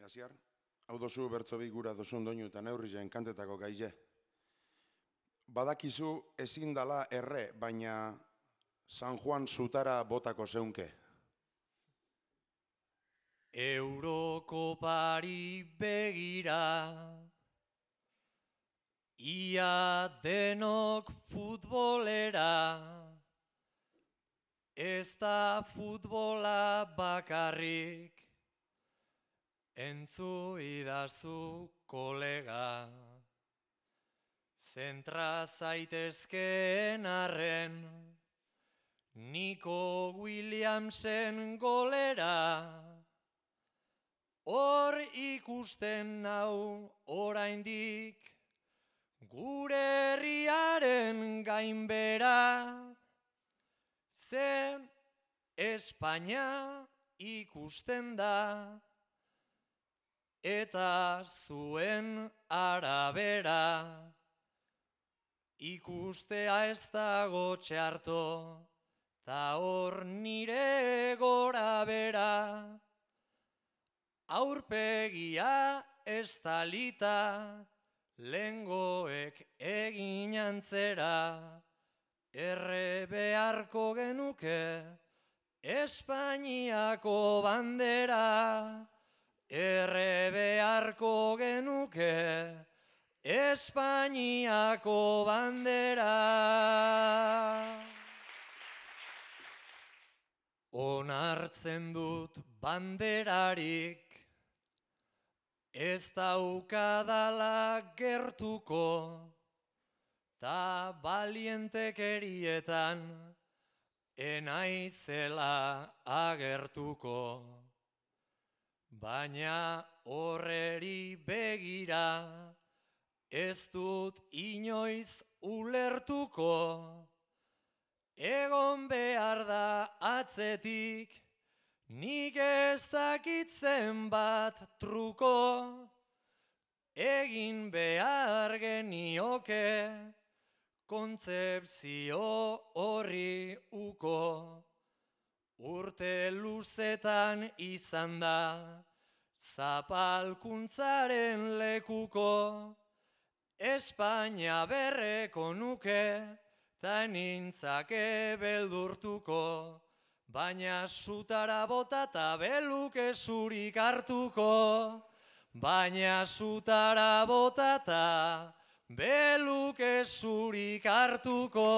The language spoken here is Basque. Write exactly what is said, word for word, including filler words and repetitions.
Easiar, hau dozu bertzobi gura dozun doinu eta neurrizen kantetako gaize. Badakizu ezin dala erre, baina San Juan zutara botako zeunke. Eurokopari begira, ia denok futbolera, ez da futbola bakarrik, entzu idazu kolega. Zentra zaitezkeen arren, Nico Williamsen golera, hor ikusten nau oraindik, gure herriaren gainbera, zen Espainia ikusten da, eta zuen arabera, ikustea ez dago txarto, ta hor nire gora bera, aurpegia estalita, lengoek egin antzera, erre beharko genuke Espainiako bandera, erre beharko genuke Espainiako bandera. Onartzen dut banderarik, ez daukadala gertuko, ta balientekerietan enaizela agertuko. Baina horreri begira, ez dut inoiz ulertuko, egon behar da atzetik, nik ez dakit zenbat truko, egin behar genioke, kontzepzio horri uko. Urte luzetan izan da, zapalkuntzaren lekuko, Espainia berreko nuke, ta nintzake beldurtuko, baina zutara bota ta beluke zurik hartuko, baina zutara bota ta beluke zurik hartuko.